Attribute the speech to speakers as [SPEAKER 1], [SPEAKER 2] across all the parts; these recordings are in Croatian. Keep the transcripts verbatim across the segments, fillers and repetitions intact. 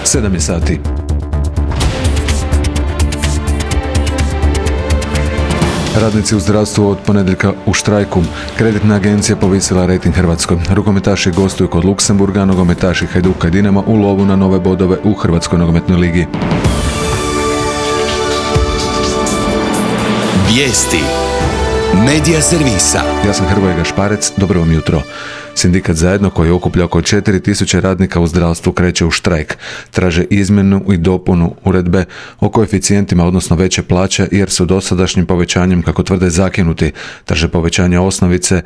[SPEAKER 1] sedam je sati. Radnici u zdravstvu od ponedjeljka u štrajku. Kreditna agencija povisila rejting Hrvatskoj. Rukometaši gostuju kod Luksemburga, nogometaši Hajduka i Dinama u lovu na nove bodove u Hrvatskoj nogometnoj ligi.
[SPEAKER 2] Vijesti Medija servisa.
[SPEAKER 1] Ja sam Hrvoje Gašparec, dobro vam jutro. Sindikat Zajedno, koji okuplja oko četiri tisuće radnika u zdravstvu, kreće u štrajk. Traže izmjenu i dopunu uredbe o koeficijentima, odnosno veće plaće, jer su dosadašnjim povećanjem, kako tvrde, zakinuti. Traže povećanje osnovice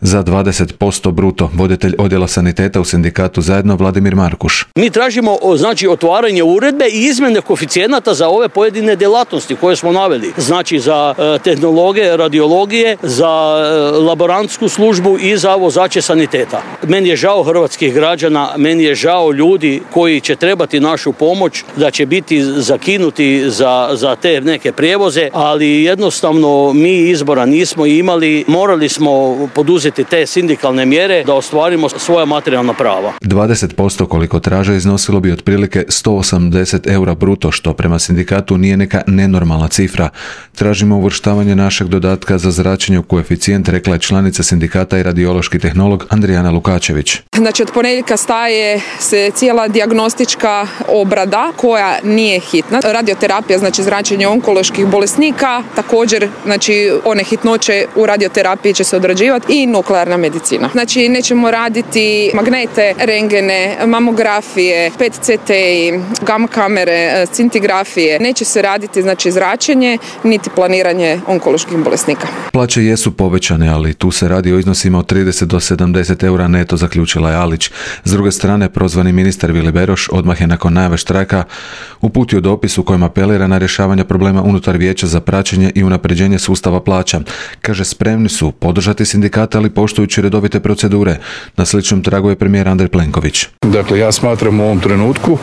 [SPEAKER 1] za dvadeset posto bruto. Voditelj odjela saniteta u sindikatu Zajedno, Vladimir Markuš.
[SPEAKER 3] Mi tražimo znači otvaranje uredbe i izmjene koeficijenata za ove pojedine djelatnosti koje smo naveli. Znači za e, tehnologe, radiologije, za e, laborantsku službu i za vozače saniteta. Meni je žao hrvatskih građana, meni je žao ljudi koji će trebati našu pomoć, da će biti zakinuti za, za te neke prijevoze, ali jednostavno mi izbora nismo imali, morali smo poduzeti te sindikalne mjere da ostvarimo svoja materijalna prava.
[SPEAKER 1] dvadeset posto koliko traže iznosilo bi otprilike sto osamdeset eura bruto, što prema sindikatu nije neka nenormalna cifra. Tražimo uvrštavanje našeg dodatka za zračenje u koeficijent, rekla je članica sindikata i radiološki tehnolog Andrijana Lukačević.
[SPEAKER 4] Znači od ponedjeljka staje se cijela dijagnostička obrada koja nije hitna. Radioterapija, znači zračenje onkoloških bolesnika, također znači one hitnoće u radioterapiji će se odrađivati i nuklearna medicina. Znači nećemo raditi magnete, rengene, mamografije, P E T C T, gamma kamere, scintigrafije. Neće se raditi znači zračenje niti planiranje onkoloških bolesnika.
[SPEAKER 1] Plaće jesu povećane, ali tu se radi o iznosima od trideset do sedamdeset eura neto, zaključila je Alić. S druge strane, prozvani ministar Vili Beroš odmah je nakon najave štrajka uputio dopis u kojem apelira na rješavanje problema unutar vijeća za praćenje i unapređenje sustava plaća. Kaže, spremni su podržati sindikata, ali poštujući redovite procedure. Na sličnom tragu je premijer Andrej Plenković.
[SPEAKER 5] Dakle, ja smatram u ovom trenutku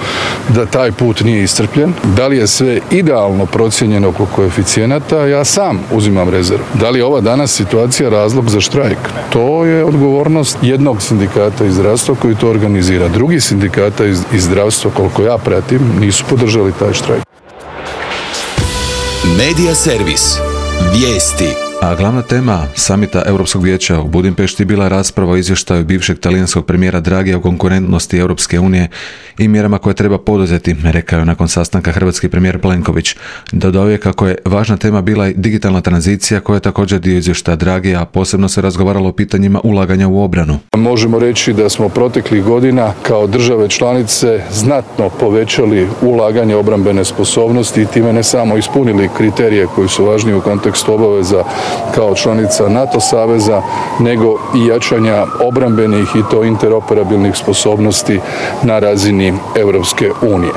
[SPEAKER 5] da taj put nije iscrpljen. Da li je sve idealno procijenjeno oko koeficijenata, ja sam uzimam rezervu. Da li je ova danas situacija razlog za štrajk? To je odgovornost jednog sindikata iz zdravstva koji to organizira. Drugi sindikata iz, iz zdravstva, koliko ja pratim, nisu podržali taj štrajk.
[SPEAKER 2] Medija servis. Vijesti.
[SPEAKER 1] A glavna tema samita Europskog vijeća u Budimpešti bila rasprava o izvještaju bivšeg talijanskog premijera Dragija o konkurentnosti Europske unije i mjerama koje treba poduzeti, rekao je nakon sastanka hrvatski premijer Plenković. Dodao je kako je važna tema bila i digitalna tranzicija, koja je također dio izvještaja Dragija, a posebno se razgovaralo o pitanjima ulaganja u obranu.
[SPEAKER 5] Možemo reći da smo proteklih godina kao države članice znatno povećali ulaganje obrambene sposobnosti i time ne samo ispunili kriterije koji su važni u kontekstu obaveza kao članica NATO saveza, nego i jačanja obrambenih i to interoperabilnih sposobnosti na razini Europske unije.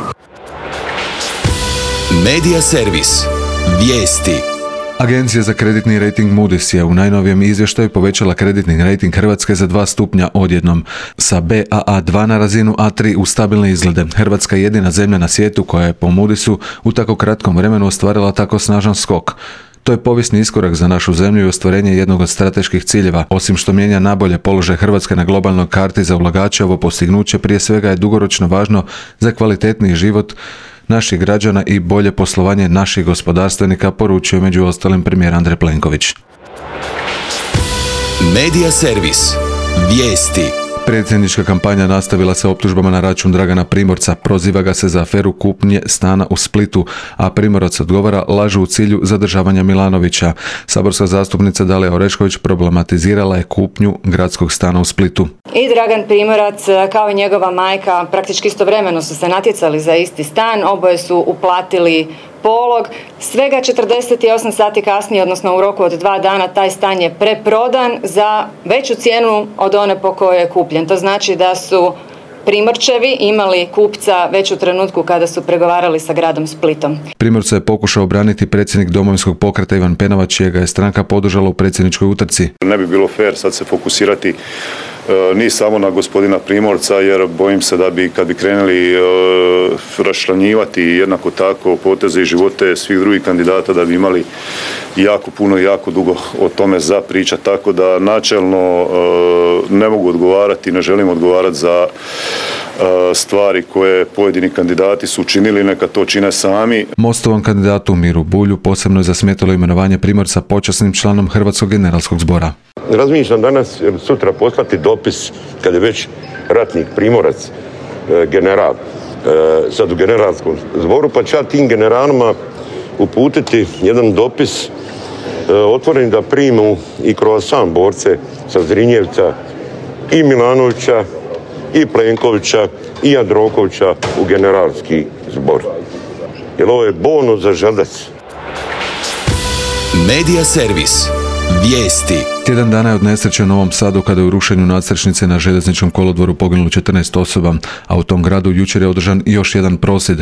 [SPEAKER 2] Medija servis. Vijesti.
[SPEAKER 1] Agencija za kreditni rejting Moody's je u najnovijem izvještaju povećala kreditni rejting Hrvatske za dva stupnja odjednom, sa B A A dva na razinu A tri u stabilne izglede. Hrvatska je jedina zemlja na svijetu koja je po Moody'su u tako kratkom vremenu ostvarila tako snažan skok. To je povijesni iskorak za našu zemlju i ostvarenje jednog od strateških ciljeva. Osim što mijenja nabolje položaj Hrvatske na globalnoj karti za ulagače, ovo postignuće prije svega je dugoročno važno za kvalitetniji život naših građana i bolje poslovanje naših gospodarstvenika, poručio među ostalim premijer Andrej Plenković.
[SPEAKER 2] Medija servis. Vijesti.
[SPEAKER 1] Predsjednička kampanja nastavila se optužbama na račun Dragana Primorca. Proziva ga se za aferu kupnje stana u Splitu, a Primorac odgovara lažu u cilju zadržavanja Milanovića. Saborska zastupnica Dalija Orešković problematizirala je kupnju gradskog stana u Splitu.
[SPEAKER 6] I Dragan Primorac kao i njegova majka praktički istovremeno su se natjecali za isti stan, oboje su uplatili polog. Svega četrdeset osam sati kasnije, odnosno u roku od dva dana, taj stan je preprodan za veću cijenu od one po kojoj je kupljen. To znači da su Primorčevi imali kupca već u trenutku kada su pregovarali sa gradom Splitom.
[SPEAKER 1] Primorca je pokušao obraniti predsjednik Domovinskog pokreta Ivan Penava, čijega je stranka podržala u predsjedničkoj utrci.
[SPEAKER 7] Ne bi bilo fair sad se fokusirati ni samo na gospodina Primorca, jer bojim se da bi kad bi krenuli raščlanjivati jednako tako poteze i živote svih drugih kandidata, da bi imali jako puno i jako dugo o tome za pričat, tako da načelno ne mogu odgovarati, ne želim odgovarati za stvari koje pojedini kandidati su učinili, neka to čine sami.
[SPEAKER 1] Mostovom kandidatu Miru Bulju posebno je zasmetalo imenovanje Primorca počasnim članom Hrvatskog generalskog zbora.
[SPEAKER 8] Razmišljam danas ili sutra poslati dopis, kad je već ratnik Primorac, general, sad u generalskom zboru, pa ću ja tim generalima uputiti jedan dopis otvoren da primu i kroz sam borce sa Zrinjevca i Milanovića i Plenkovića i Jandrokovića u generalski zbor. Jer ovo je bonus za Želdac.
[SPEAKER 2] Medija servis. Vijesti.
[SPEAKER 1] Tjedan dana je od nesreće u Novom Sadu kada je u rušenju nadstrešnice na željezničkom kolodvoru poginulo četrnaest osoba, a u tom gradu jučer je održan još jedan prosvjed.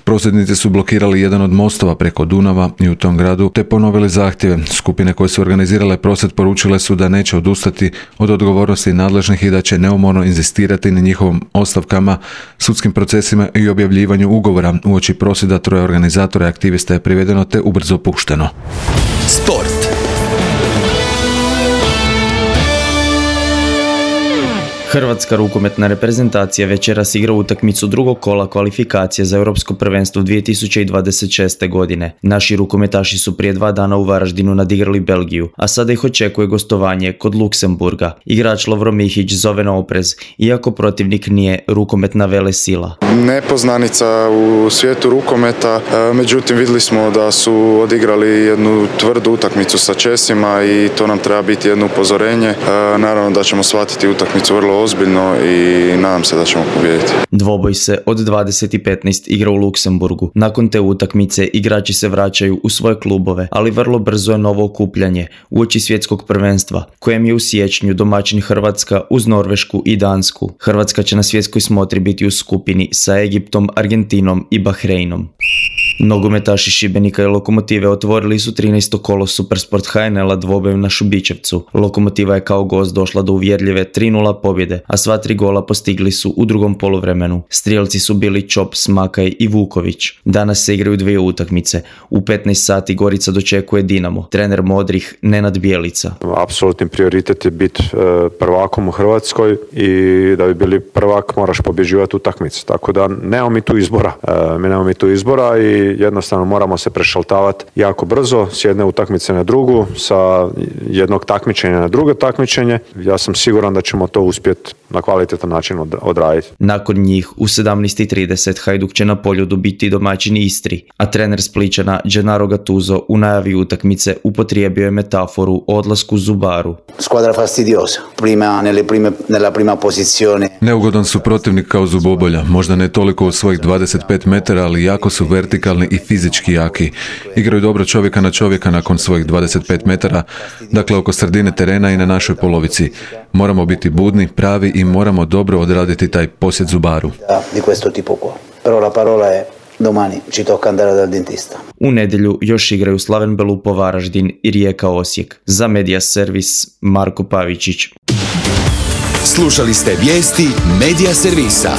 [SPEAKER 1] Prosvjednici su blokirali jedan od mostova preko Dunava i u tom gradu te ponovili zahtjeve. Skupine koje su organizirale prosvjed poručile su da neće odustati od odgovornosti nadležnih i da će neumorno inzistirati na njihovom ostavkama, sudskim procesima i objavljivanju ugovora. Uoči prosvjeda troje organizatora i aktivista je privedeno te ubrzo pušteno.
[SPEAKER 2] Sport.
[SPEAKER 9] Hrvatska rukometna reprezentacija večeras igra utakmicu drugog kola kvalifikacije za Europsko prvenstvo dvije tisuće dvadeset šeste. godine. Naši rukometaši su prije dva dana u Varaždinu nadigrali Belgiju, a sada ih očekuje gostovanje kod Luksemburga. Igrač Lovro Mihić zove na oprez, iako protivnik nije rukometna velesila.
[SPEAKER 10] Nepoznanica u svijetu rukometa, međutim vidjeli smo da su odigrali jednu tvrdu utakmicu sa Česima i to nam treba biti jedno upozorenje. Naravno da ćemo shvatiti utakmicu vrlo ozbiljno i nadam se da ćemo pobijediti.
[SPEAKER 9] Dvoboj se od dvadeset i petnaest igra u Luksemburgu. Nakon te utakmice igrači se vraćaju u svoje klubove, ali vrlo brzo je novo okupljanje uoči svjetskog prvenstva, kojem je u siječnju domaćin Hrvatska uz Norvešku i Dansku. Hrvatska će na svjetskoj smotri biti u skupini sa Egiptom, Argentinom i Bahreinom. Nogometaši Šibenika i Lokomotive otvorili su trinaesto kolo Supersport H N L-a dvobojem na Šubićevcu. Lokomotiva je kao gost došla do uvjerljive tri nula pobjede, a sva tri gola postigli su u drugom poluvremenu. Strijelci su bili Čop, Smakaj i Vuković. Danas se igraju dvije utakmice. U petnaest sati Gorica dočekuje Dinamo. Trener Modrih Nenad Bjelica.
[SPEAKER 11] Apsolutni prioritet je biti prvakom u Hrvatskoj i da bi bili prvak moraš pobjeđivati utakmicu. Tako da nemamo mi tu izbora. E, mi nemamo mi tu izbora i jednostavno moramo se prešaltavati jako brzo s jedne utakmice na drugu, sa jednog takmičenja na drugo takmičenje. Ja sam siguran da ćemo to uspjeti na kvalitetan način odraditi.
[SPEAKER 9] Nakon njih u sedamnaest i trideset Hajduk će na Poljudu biti domaćin Istri, a trener Spličana Gennaro Gattuso u najavi utakmice upotrijebio je metaforu o odlasku Zubaru.
[SPEAKER 12] Squadra fastidiosa, prima nelle prime nella prima posizione.
[SPEAKER 1] Neugodan su protivnik kao zubobolja, možda ne toliko u svojih dvadeset pet metara, ali jako su vertikalni i fizički jaki. Igraju dobro čovjeka na čovjeka nakon svojih dvadeset pet metara, dakle oko sredine terena i na našoj polovici. Moramo biti budni, pravi i moramo dobro odraditi taj posjet Zubaru.
[SPEAKER 12] Di questo tipo qua. Però la parola è domani ci tocca andare dal dentista.
[SPEAKER 9] U nedjelju još igraju Slaven Belupo Varaždin i Rijeka Osijek. Za Medija servis Marko Pavičić.
[SPEAKER 2] Slušali ste vijesti Medija servisa.